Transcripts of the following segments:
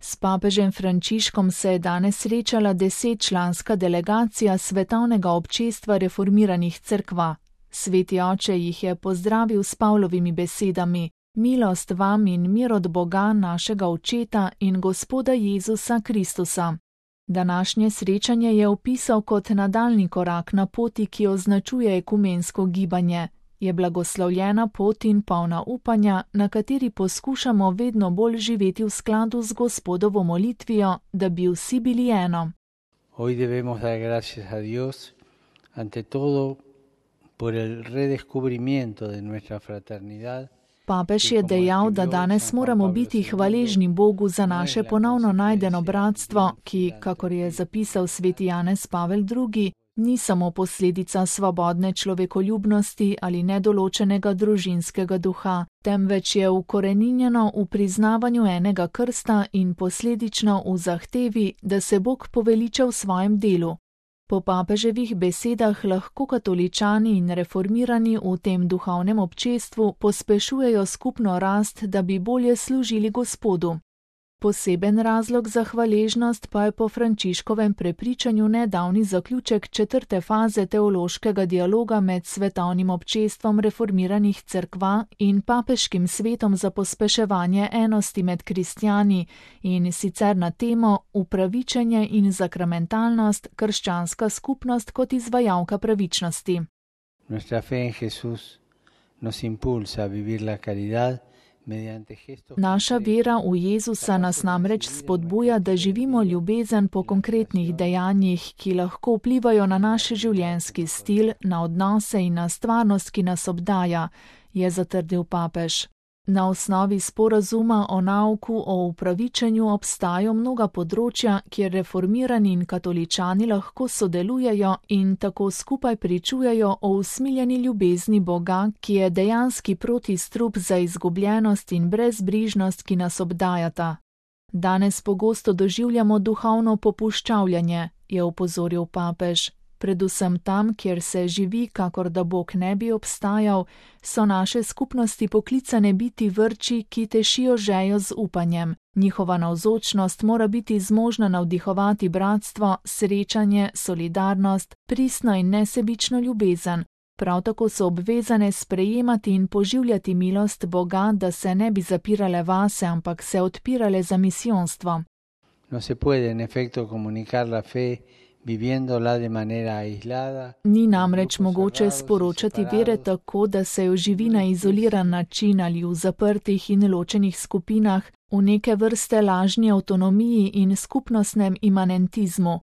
S papežem Frančiškom se je danes srečala 10-članska delegacija Svetovnega občestva reformiranih cerkva. Sveti oče jih je pozdravil s Pavlovimi besedami: Milost vam in mir od Boga našega Očeta in Gospoda Jezusa Kristusa. Današnje srečanje je opisal kot nadaljnji korak na poti, ki označuje ekumensko gibanje. Je blagoslovljena pot in polna upanja, na kateri poskušamo vedno bolj živeti v skladu z Gospodovo molitvijo, da bi vsi bili eno. Hoy debemos dar gracias a Dios ante todo por el redescubrimiento de nuestra fraternidad. Papež je dejal, da danes moramo biti hvaležni Bogu za naše ponovno najdeno bratstvo, ki, kakor je zapisal sveti Janez Pavel II., ni samo posledica svobodne človekoljubnosti ali nedoločenega družinskega duha, temveč je ukoreninjeno v priznavanju enega krsta in posledično v zahtevi, da se Bog poveliča v svojem delu. Po papeževih besedah lahko katoličani in reformirani v tem duhovnem občestvu pospešujejo skupno rast, da bi bolje služili Gospodu. Poseben razlog za hvaležnost pa je po Frančiškovem prepričanju nedavni zaključek 4. faze teološkega dialoga med Svetovnim občestvom reformiranih cerkva in Papeškim svetom za pospeševanje enosti med kristjani, in sicer na temo upravičenje in sakramentalnost, krščanska skupnost kot izvajalka pravičnosti. Nuestra fe en Jesús nos impulsa a vivir la caridad. Naša vera v Jezusa nas namreč spodbuja, da živimo ljubezen po konkretnih dejanjih, ki lahko vplivajo na naš življenjski stil, na odnose in na stvarnost, ki nas obdaja, je zatrdil papež. Na osnovi sporazuma o nauku o upravičenju obstajajo mnoga področja, kjer reformirani in katoličani lahko sodelujejo in tako skupaj pričujejo o usmiljeni ljubezni Boga, ki je dejanski protistrup za izgubljenost in brezbrižnost, ki nas obdajata. Danes pogosto doživljamo duhovno popuščavljanje, je opozoril papež. Predvsem tam, kjer se živi, kakor da Bog ne bi obstajal, so naše skupnosti poklicane biti vrči, ki tešijo žejo z upanjem. Njihova navzočnost mora biti zmožna navdihovati bratstvo, srečanje, solidarnost, pristno in nesebično ljubezen. Prav tako so obvezane sprejemati in poživljati milost Boga, da se ne bi zapirale vase, ampak se odpirale za misijonstvo. No se puede en efecto comunicar la fe viviéndola de manera aislada. Ni namreč mogoče sporočati vere tako, da se jo živi na izoliran način ali v zaprtih in ločenih skupinah, v neke vrste lažni avtonomiji in skupnostnem imanentizmu.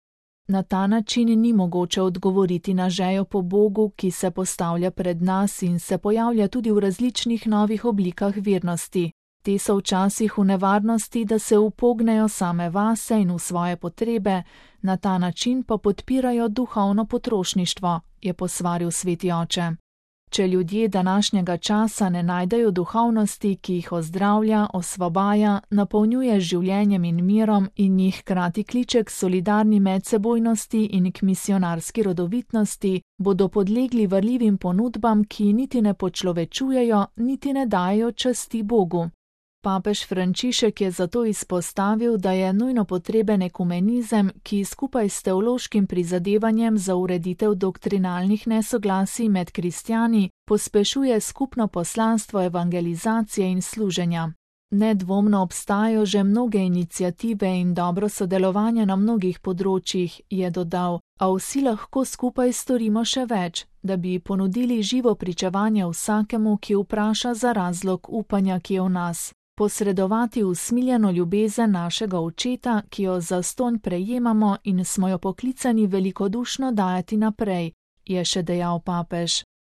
Na ta način ni mogoče odgovoriti na žejo po Bogu, ki se postavlja pred nas in se pojavlja tudi v različnih novih oblikah vernosti. Te so včasih v nevarnosti, da se upognejo same vase in v svoje potrebe, na ta način pa podpirajo duhovno potrošništvo, je posvaril sveti oče. Če ljudje današnjega časa ne najdejo duhovnosti, ki jih ozdravlja, osvobaja, napolnjuje z življenjem in mirom in jih hkrati kliče k solidarni medsebojnosti in k misionarski rodovitnosti, bodo podlegli varljivim ponudbam, ki niti ne počlovečujejo, niti ne dajo časti Bogu. Papež Frančišek je zato izpostavil, da je nujno potreben ekumenizem, ki skupaj s teološkim prizadevanjem za ureditev doktrinalnih nesoglasij med kristjani pospešuje skupno poslanstvo evangelizacije in služenja. Nedvomno obstajajo že mnoge iniciative in dobro sodelovanje na mnogih področjih, je dodal, a vsi lahko skupaj storimo še več, da bi ponudili živo pričevanje vsakemu, ki vpraša za razlog upanja, ki je v nas. Posredovati usmiljeno ljubezen našega Očeta, ki jo zastonj prejemamo in smo jo poklicani velikodušno dajati naprej, je še dejal papež.